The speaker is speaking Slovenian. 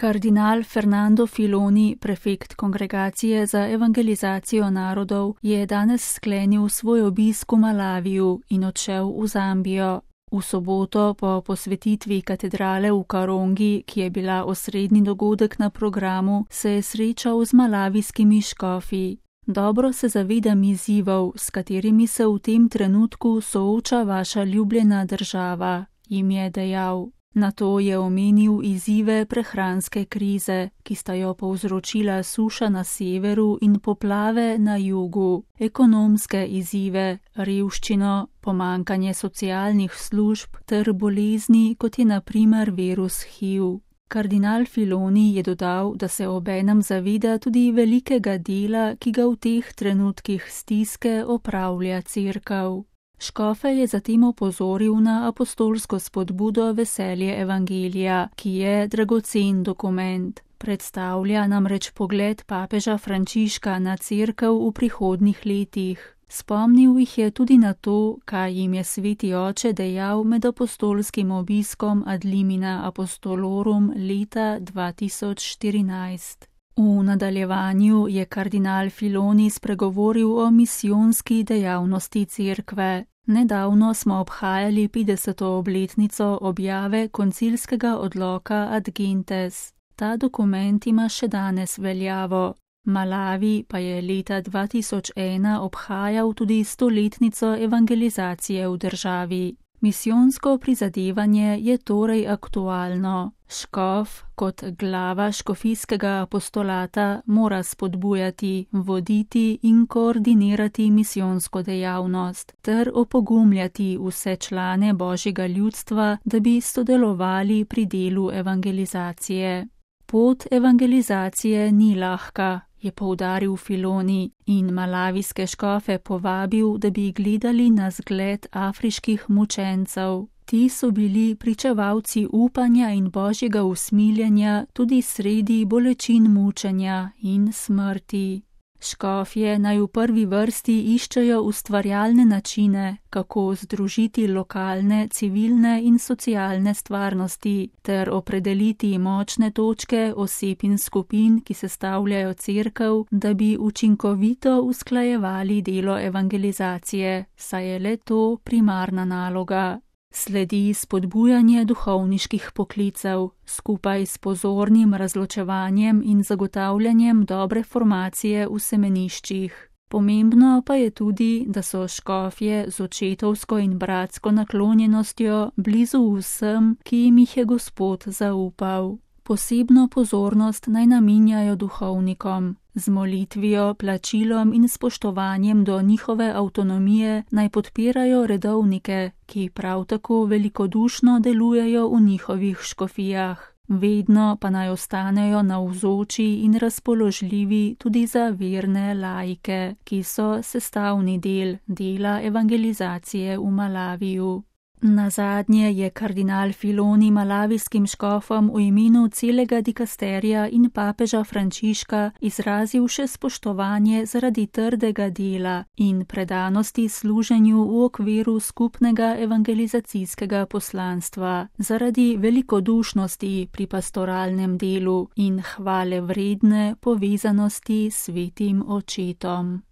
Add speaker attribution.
Speaker 1: Kardinal Fernando Filoni, prefekt Kongregacije za evangelizacijo narodov, je danes sklenil svoj obisk v Malaviju in odšel v Zambijo. V soboto po posvetitvi katedrale v Karongi, ki je bila osrednji dogodek na programu, se je srečal z malavijskimi škofi. Dobro se zavedam izzivov, s katerimi se v tem trenutku sooča vaša ljubljena država, jim je dejal. Nato je omenil izzive prehranske krize, ki sta jo povzročila suša na severu in poplave na jugu, ekonomske izzive, revščino, pomanjkanje socialnih služb ter bolezni, kot je na primer virus HIV. Kardinal Filoni je dodal, da se obenem zaveda tudi velikega dela, ki ga v teh trenutkih stiske opravlja Cerkev. Škofe je zatem opozoril na apostolsko spodbudo Veselje evangelija, ki je dragocen dokument. Predstavlja namreč pogled papeža Frančiška na Cerkev v prihodnjih letih. Spomnil jih je tudi na to, kaj jim je sveti oče dejal med apostolskim obiskom ad limina apostolorum leta 2014. V nadaljevanju je kardinal Filoni spregovoril o misijonski dejavnosti Cerkve. Nedavno smo obhajali 50. obletnico objave koncilskega odloka Ad Gentes. Ta dokument ima še danes veljavo. Malavi pa je leta 2001 obhajal tudi 100-letnico evangelizacije v državi. Misijonsko prizadevanje je torej aktualno. Škof kot glava škofijskega apostolata mora spodbujati, voditi in koordinirati misijonsko dejavnost ter opogumljati vse člane Božjega ljudstva, da bi sodelovali pri delu evangelizacije. Pot evangelizacije ni lahka, je poudaril Filoni in malavijske škofe povabil, da bi gledali na zgled afriških mučencev. Ti so bili pričevalci upanja in Božjega usmiljenja tudi sredi bolečin mučenja in smrti. Škofje naj v prvi vrsti iščejo ustvarjalne načine, kako združiti lokalne, civilne in socialne stvarnosti, ter opredeliti močne točke oseb in skupin, ki sestavljajo Cerkev, da bi učinkovito usklajevali delo evangelizacije, saj je le to primarna naloga. Sledi spodbujanje duhovniških poklicev, skupaj s pozornim razločevanjem in zagotavljanjem dobre formacije v semeniščih. Pomembno pa je tudi, da so škofje z očetovsko in bratsko naklonjenostjo blizu vsem, ki jim jih je Gospod zaupal. Posebno pozornost naj namenjajo duhovnikom. Z molitvijo, plačilom in spoštovanjem do njihove avtonomije naj podpirajo redovnike, ki prav tako velikodušno delujejo v njihovih škofijah. Vedno pa naj ostanejo navzoči in razpoložljivi tudi za verne laike, ki so sestavni del dela evangelizacije v Malaviju. Nazadnje je kardinal Filoni malavijskim škofom v imenu celega dikasterija in papeža Frančiška izrazil še spoštovanje zaradi trdega dela in predanosti služenju v okviru skupnega evangelizacijskega poslanstva, zaradi velikodušnosti pri pastoralnem delu in hvale vredne povezanosti s svetim očetom.